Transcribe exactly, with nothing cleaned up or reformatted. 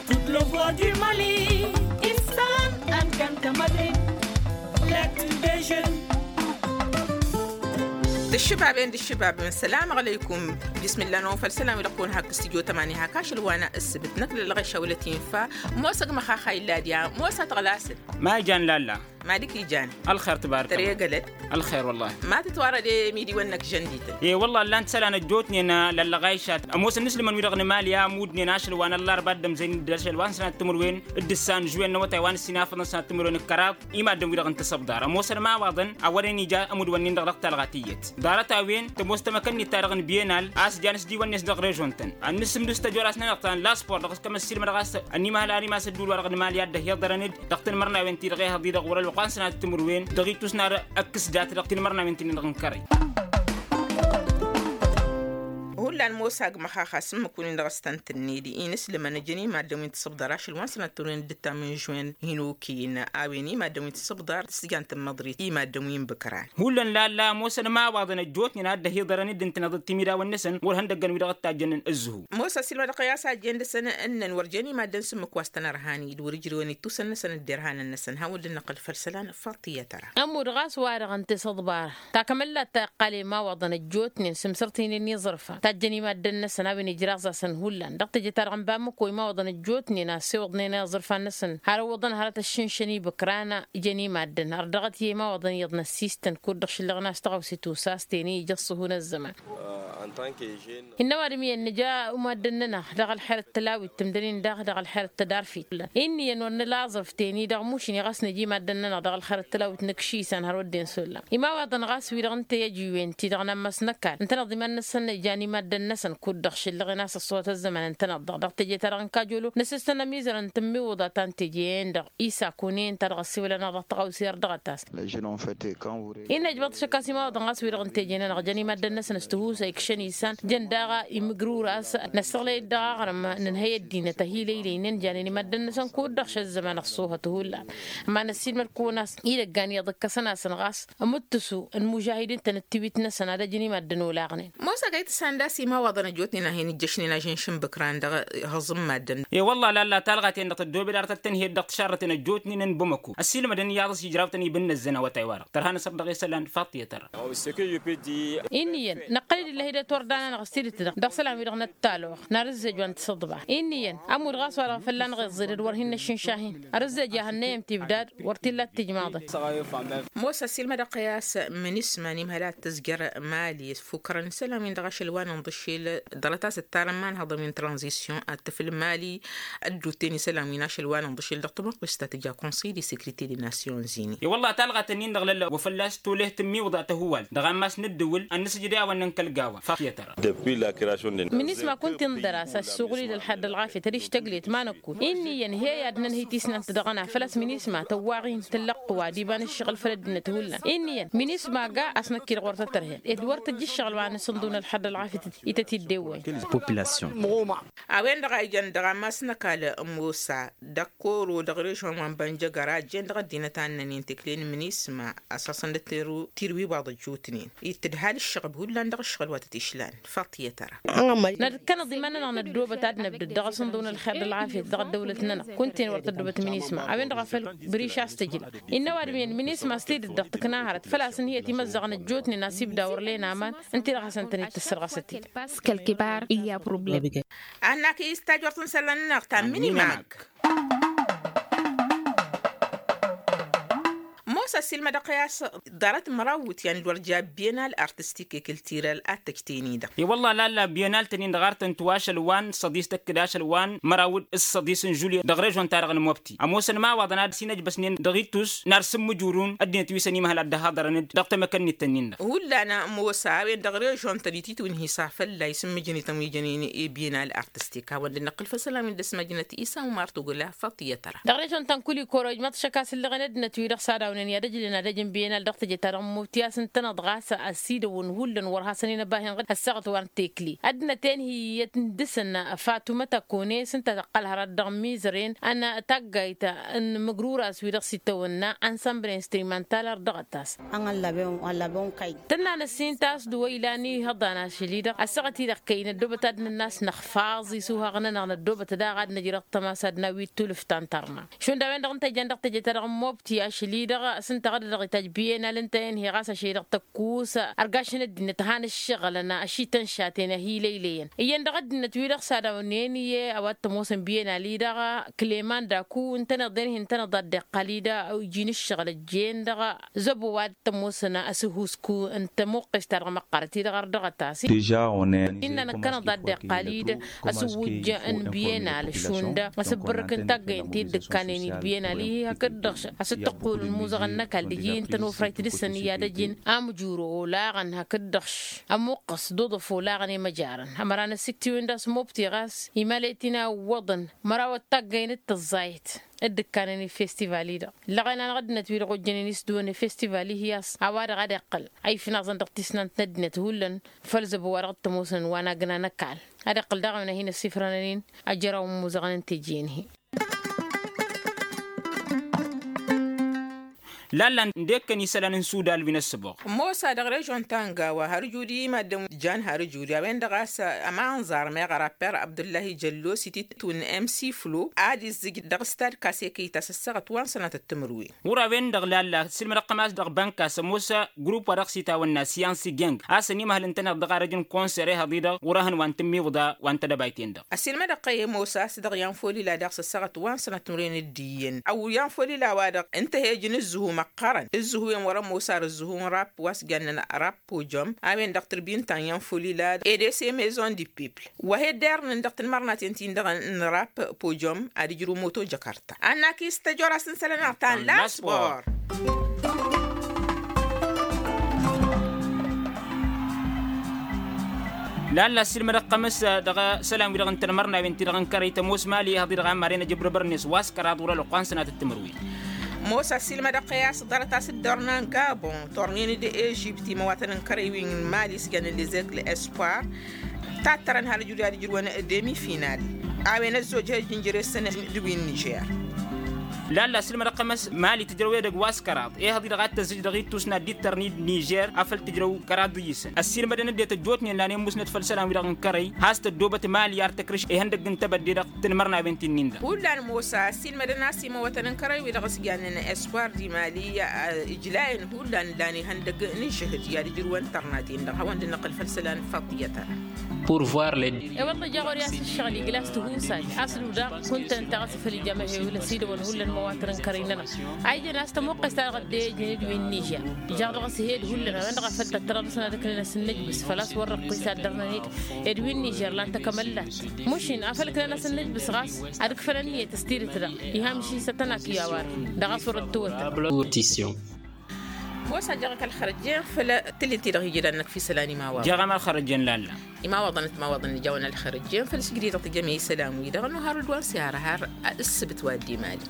Tut lăvăr di mali. Istan. Alkam tămădre. Lăt. Dejel. Dăššăbaben dăššăbaben sălam alăykum. Bismillah nofăl sălam ilăqqun hak s-tijotămani hak ašăl wa n-assăbăt năkk lălɣeš awălăt infa. Mosăg măxaxa illa diya mosăt ɣlasăt. Ma ijan lalla. Malik ijan. Alxer tbark. Tăregălăt. Alxer wăllah. Ma tǝtwarăd i-midiwăn-năk žăndităn. E wăllah ǝllan-t isălan ăjjootnen lăllăɣayšat ămoosăn n-islǝmăn wi-dăɣ n-emali a ămudnen ašăl wa n-ăllarba d-ămzăyăn-dd ašăl wa n-sănat timǝrwen d-ǝssan žuwen n-awătay wa n-ǝssin afăḍăn sănat timǝrwen d-kăraḍ. Imaddǝn-wi-dăɣ n-tasăbḍar ămoosăn ma iwaḍăn a wărăn ija ămudwăn-nin-dăɣ dăɣ-talɣa tiyyăt. Ḍarăt a-wen tămoos tamăkănnit-ta-dăɣ n-biyenal a-s jan s-diwăn-net dăɣ-režon-tăn ad-nǝssǝmdǝs tăjoras-nănăɣ ta n-laspor dăɣ-s kămăssiilmădăɣ a-s ănimăhăl ar imas ădduul-wa-dăɣ n-emali a dd-ăhiḍărăn-dd dăɣ-tinmărnawen-ti-dăɣ ehăḍ-i-dăɣ wăr-ălwăqq a n-sănat timǝrwen dăɣ-itus n-ad-ăkkǝs dat-dăɣ tinmărnawen ti-nin-dăɣ n-kărăy. Hullan mosa agmăxaxa s-ǝmmǝk-win-dăɣ s-tăn-tǝnned inǝslǝmăn ǝjăn i-maddǝn wi n-tisǝbḍar ašăl wa n-sănat timǝrwen d-ǝttam n-žwen hin-okǝyǝn a-wen i-maddǝn wi n-tisǝbḍar s-jan tǝmmăḍrit i-maddǝn wi n-bǝkran. Hullan lalla ămoosăn imawaḍăn ăjjootnen a dd-ăhiḍărăn-dd ǝntăneḍ d-timidawăn-năsăn wăr ihăndăggăn wi-dăɣ ǝttajjănăn ǝzzǝhu. Mosa s-ilmădăɣ i-a-s a jen dăɣ-săn ǝnnăn wăr jen i-maddǝn s-ǝmmǝk wa s-tăn-ărhan d-wăr-ǝjrewăn ittusăn-năsăn d-derhanăn-năsăn hawăn-dd-năqqăl făll-isălan. Faḍt iyyăt ăra. Ămmud ɣas wa-dăɣ ǝnta i-săḍbar takămăllat ta iqqal i-imawaḍăn ăjjootnen s-imsărtinen n-iẓrǝfan tajjăn i-maddǝn-năsăn a-wen ijraẓ-asăn hullan dăɣ-teje-ta-dăɣ n-bamăko imawaḍăn ăjjootnen a ăssewăḍnen iẓrǝfan-năsăn har ǝwwăḍăn hărăt ăššǝnšăn ibǝkran. Jăn i-maddǝn har dăɣ-t i-imawaḍăn iyyăḍ n-ăssistăn kud-dăɣ šǝllăɣ n-a-s tăɣawse tusa a-s tene ija ăṣṣuhu n-ăzzăman. Innă ăwadǝm iyyăn nǝja i-maddǝn-nănăɣ dăɣ-ălxer d-tălawit tǝmdănen daɣ dăɣ-ălxer d-tădarfit. Innă iyyăn wăr nǝla aẓrǝf teni dăɣ-mušǝn i-ɣas nǝja i-maddǝn-nănăɣ dăɣ-ălxer d-tălawit nǝkši isan har wădden s-ollam. Imawaḍăn ɣas wi-dăɣ n-teyăjiwen ti-dăɣ n-ammas n-ăkall ǝntăneḍ iman-năsăn jan i-maddǝn-năsăn kud-dăɣ šǝllăɣen a-s ăṣṣuhăt ăzzăman ǝntăneḍ-dăɣ dăɣ-teje-ta-dăɣ n-kajolo nǝsǝstăn ămizărăn n-tǝmmiwǝḍa ta n-teje-en-dăɣ. Isa kunen ta dăɣ-ăssiwălăn-aɣ dăɣ-tăɣawse ar dăɣ-ătas. Innă ăjbăḍ šăkkas imawaḍăn ɣas wi-dăɣ n-teje-nănăɣ jăn i-maddǝn-năsăn s-tihusay kšăn isan jăn daɣ imǝgrur a-s năssăɣlăy-dd dăɣ-aɣrǝm nǝnhăy ăddinăt ăhilăylăynen janen i-maddǝn-năsăn kud-dăɣ šăzzăman ăṣṣuhăt hullan. Ămanăssiilmăd kăwăn-as idăggan iyyăḍ ǝkkăsăn-asăn ɣas ămuttǝsu n-imužahidin-tăn d-tiwit-năsăn ad-ăjǝn i-maddǝn olaɣnen. Mosăgăy tǝssan d-a-s imawaḍăn ăjjootnen a hin-ijjăšnen ažǝnš n-ibǝkran dăɣ-ihăẓ n-maddǝn. E-wălla lalla talɣa-ten-dăɣ tăddoobed arăt ad-tăn-hi-dd dăɣ-tǝšarrăten ăjjootnen n-bămăko ăssiilmădăn iyyăḍ a-s ijrawtăn ibǝnnăzzăn awătay-wa-dăɣ tărha n-asăr dăɣ-isălan. Faḍt i-ad-tărra. Inn'-iyyăn năqqăl-dd illa hi-dd-ătwărdăn-anăɣ s-tidǝt-dăɣ dăɣ-isălan-wi-dăɣ n-ăttalăɣ n-arǝzzej wa n-tǝsǝḍba. Inn'-iyyăn ămudd ɣas wa dăɣ-fălla-năɣ iẓẓed d-wăr hin-năššǝnšahin. Arǝzzej a hănnăyăm tibdad wăr t-illa d-tijmaḍăn. Mosa s-ilmădăɣ i-a-s minisma n-imhăl ad-tǝzjăr mali ăffukrăn isălan-win-dăɣ ašăl wa n-inḍǝššel dăɣ-lăt a-s ǝttarăn imanhăḍăn wi n-tranzisyon ad-tǝfǝl mali. Ădduuten isălan-win ašăl wa n-inḍǝššel dăɣ-tămăqqust ta tǝja konsăy de sekrite de nasyon zini. I-wălla talɣat-ǝnnin-dăɣ lălla wa fălla-s toleh tǝmmiwǝḍa tăhǝwal dăɣ-ammas n-ǝddǝwǝl ad-nǝsǝjǝd i-a-wăn n-kăl-gawa. Faḍt i-ad-tărra. Minisma kunta-i n-dăr-as ăssuɣǝl-dd ălxad d-ălɣafyăt ad-ištăglet ma năkk. Inn'-iyyăn he-i ad-năn-hi-tisnant dăɣ-ăna făl-a-s minisma tăwwaɣ-in tǝllăqq wa d-iba n-ǝššăɣǝl făll-ăddinăt hullan. Inn'-iyyăn minisma ga a-s năkk-i-dăɣ wăr tătărhen ed wăr tǝjja ǝššăɣǝl wa n-asǝnḍu n-ălxad d-ălɣafyăt ităt-dd-ewwăyăn. Population. A-wen-dăɣ a ijăn dăɣ-ammas n-ăkall musa d-ăkkoro dăɣ-režon wa n-bănjăgăr a ăjjeen dăɣ-ăddinăt a ǝnnănen tekle n-minisma ăsasăn d-tirwiwaḍ ăjjootnen. Ittǝdhal ǝššăɣb hullan dăɣ-ǝššăɣǝl wa tăt-išlan. Faḍt i-ad-tărra. Nădkănăḍ iman-nănăɣ năddoobăt ad-năbdăd dăɣ-asǝnḍǝw n-ălxer d-ălɣafyăt dăɣ-ăddăwlăt-nănăɣ kunta-en wăr tăddoobăt minisma a-wen-dăɣ a făl băriš a-s tǝjla. Innă ăwadǝm-en minisma s-tidǝt dăɣ-tǝkna hărăt făl-a-s ǝnhǝyăt imăzzăɣăn ăjjootnen a-s ibda wăr len aman. Ǝnta-i-dăɣ hasăn-tăn-dd-tǝssărɣăsăt-dd. Parce que ălkibar i-a probleme. Ad-nak-i s-tajwărt n-isălan-nănăɣ ta n-minimag. Mosa s-ilmădăɣ i-a-s ḍarăt măraw iwǝtyan d-wăr ja bienal artistik i-kiltiral ad-tăjtăyăn-i-dăɣ. I-wălla lalla bienal-tăn-in-dăɣ ar tăn-tǝw ašăl wa n-săḍis tăkk-dd ašăl wa n-măraw d-săḍis n-žulye dăɣ-režon-ta-dăɣ n-mobti ămoosăn imawaḍăn ad-s-in-ăjbăsnen dăɣ-ittus n-arsǝmmǝjurun ăddinăt wi s-ănimăhăl ad-dd-ăhaḍărăn-dd dăɣ-tamăkănnit-tăn-in-dăɣ. Hullan mosa a-wen-dăɣ režon-tăn ititwǝnhǝy s-afălla isǝmmǝjǝnităn wi jănen i-bienal artistik hawăn-dd-năqqǝl făll-isălan wi n-dăr-s măjnăt isa umar tugǝla. Faḍt i-ad-tărra. Dăɣ-režon-tăn kul-i koro ijmăḍ šăkk a-s ǝllăɣen ăddinăt-wi-dăɣ s-ad-awnen. Ad-ăjlăn ad-ăj n-biyenal dăɣ-teje-ta-dăɣ n-mobti a-s ǝntăneḍ ɣas ăsidăwăn hullan wăr hasăn-in-ăbahin ɣǝd ăssaɣăt wa n-tekli ăddinăt-en hi-ătndǝsăn. Fatuma tăkone s-ǝnta tăqqăl hărăt dăɣ-mizăren ănn taggayt n-imǝgrura s-wi-dăɣ s-itawănna ănsămbăl instrumental ar dăɣ-ătas. Tǝnna n-ăssin ta s-dd-wa ilan ihăḍan ašăl-i-dăɣ ăssaɣăt-i-dăɣ kăy-năddoobăt ad-nǝnn'-as năxfaẓ isuhaɣ-nănăɣ năddoobăt daɣ ad-năj dăɣ-tămasa d-nawit tulǝft ta n-tărna. Šund a-wen-dăɣ ǝnta ijăn dăɣ-teje-ta-dăɣ n-mobti ašăl-i-dăɣ s-ǝnta ɣǝd-dăɣ itajj biyenal ǝnta-en hi-ɣas ašăl-i-dăɣ tăkkus ărgašăn ăddinăt han ǝššăɣǝlăn ašităn šaten ăhiilăylăyăn iyyăn dăɣ-ăddinăt-wi-dăɣ s-ad-awnen i-e a-wa t-ămoosăn biyenal-i-dăɣ. Klemanda ku ǝntăneḍ-en hi-ǝntăneḍ ad-dd-iqqal-i-dăɣ iji n-ǝššăɣǝl ăjjeen dăɣ-zăbo wa d-tămoosăn asǝhhusku n-tămuqqes-ta-dăɣ măqqărăt-i-dăɣ ărdăɣăt-as. Innă năkkăneḍ ad-dd-iqqal-i-dăɣ asǝwwǝjja n-biyenal šund asǝbbărrǝk n-taggăyăn ti dd-ǝkkanen i-dd biyenal-i hakd-dăɣ asǝttăqqul n-imuzăɣăn n-ăkall d-iji ǝntănofrăyt dăɣ-săn i-ad-ăjǝn amjuro olaɣăn hakd-dăɣ ămuqqăs d-oḍăf olaɣăn i-măjarăn ămăra n-ăsiktiwen d-asmobti ɣas imal i-tinăyăn iwwăḍăn măraw d-taggăyăn d-tăẓẓayăt dd-ǝkkanen i-festival-i-dăɣ. Ǝllăɣen-anăɣ ăddinăt-wi-dăɣ ojjănen isdǝwăn i-festival-i hi-a-s a-wa-dăɣ ad-iqqăl a ifnaẓăn dăɣ-tisnant n-ăddinăt hullan făll-zăbo wa dăɣ-t-ămoosăn wa n-agna n-ăkall ad-iqqăl daɣ a-wen a hin-ăssifrănăn-in ajăraw n-imuzăɣăn n-teje-in-hi. Lalla ǝndek-kăn isălan n-sudal wi n-ăssăboɣ. Mosa dăɣ-režon ta n-gawa har judi i-maddǝn jan har judi a-wen-dăɣ a-s ămanẓar meɣ rapper abdullahi jăllo s-itittu n-mc flo ad-izzǝj dăɣ-stad kasekit a-s ăssaɣăt wa n-sănatăt timǝrwen. Ɣur-a-wen-dăɣ lalla sǝlmădăɣ-tăm a-s dăɣ-bănka s-ămoos grup wa dăɣ-s itawănna siyansi geng a-s ănimăhăl-ǝntăneḍ dăɣ-arăj n-konsere hăḍidăɣ ɣur-ehăn wa n-tǝmmiwǝḍa wa n-tedăbayt-en-dăɣ. Ăsilmădăɣ-kăy ămoos a-s dăɣ-i anfolila daɣ s-ăssaɣăt wa n-sănatmăren d-iyyăn ăwwǝy anfolila-wa-dăɣ ǝnta he-ǝjǝn ǝzzǝhu măqqărăn ǝzzǝhu-en wăr-ămoos ar ǝzzǝhu n-rap wa s-jannen rap pojom a-wen-dăɣ tǝrbin ta n-i-anfolila edese maison du peuple wa he-dd-irnǝn dăɣ-tanmărnaten-tin-dăɣ n-rap pojom ad-ǝjrǝw moto jăkărta. Annak-i s-tăjora s-n-isălan-năɣ ta n-laspor. Lalla ăssiilmădăɣ-tăm s-dăɣ-isălan-wi-dăɣ n-tanmărnawen-ti-dăɣ n-kărăy tămoos mali ehăḍ-i-dăɣ a maren ăjăbrăbărnet wa s-kăraḍ wăr-ălwăqq wa n-sănatăt timǝrwen. Mosa ăssiilmădăɣ-tăm i-a-s ḍarăt a-s dd-ornan gabon tornen d-ežipt imăwatăn n-kărăy wi n-mali s-jannen lezek l-espoir. Tattărăn har ǝjrǝw i-ad-ǝjrǝwăn demi final a-wen ăzzojăh ăjjǝnjăr-esăn d-wi n-nižer. Lalla ăssiilmădăɣ-tăm s-mali tǝjrăw edăgg wa s-kăraḍ ehăḍ-i-dăɣ a t-tăzzǝj dăɣ-ittus n-ad-dd-ittărni d-nižer afăl tǝjrăw kăraḍ ǝyyǝsăn ăssiilmădăn ăddinăt ăjjootnen lanen musnăt făll-isălan-wi-dăɣ n-kărăy has-tăddoobăt mali ar tăkrǝš ihăndăgg n-tebădde dăɣ-tanmărnawen ti-nin-dăɣ. Hullan mosa ăssiilmădăn a-s imăwătăn n-kărăy-wi-dăɣ s-jannen espoir d-imali ijlayăn hullan lan ihăndăgg n-ažžăhǝd i-ad-ǝjrǝwăn tărnaten-dăɣ hawăn-dd-năqqǝl făll-isălan faḍiyăt-a. Ewăḍ ăjja ɣur-i a-s ǝššăɣǝl igla s-tihusat a-s dd-udaɣ kuntăn-ta ɣas făl ija măhewǝl ăsidăwăn hullan măwatăr n-kărăy-nănăɣ a ijăn a-s tămuqqes-ta-dăɣ ăddejăn d-wi n-nižer. Ijaɣ dăɣ-s hed hullan a-wen-dăɣ a făl tăttărăḍ s-nădăknen a-s n-nǝjbǝs făl-a-s wăr-răqqis ad-dărnăn-dd ed wi n-nižer lan tăkămăllat. Mušin a făl ǝknen a-s n-nǝjbǝs ɣas ad-ǝkfănăn iyyăt s-tidǝt-dăɣ. Iham iši s-ăttănakǝy a-wa-dăɣ dăɣ-a-s wăr-ăttăwătăn. Mosa jăɣ-ak ălxărăjjen făll-tǝlǝl-ti-dăɣ iji d-ad-năkf isălan imawaḍăn. Jăɣ-am ălxărăjjen lalla. Imawaḍăn ătmawaḍăn ijawăn ălxărăjjen făll-sǝjdidăɣ tǝjjăm i-isălan-wi-dăɣ ănuhar d-wa n-sihar har ǝssǝbǝt wa dd-imali.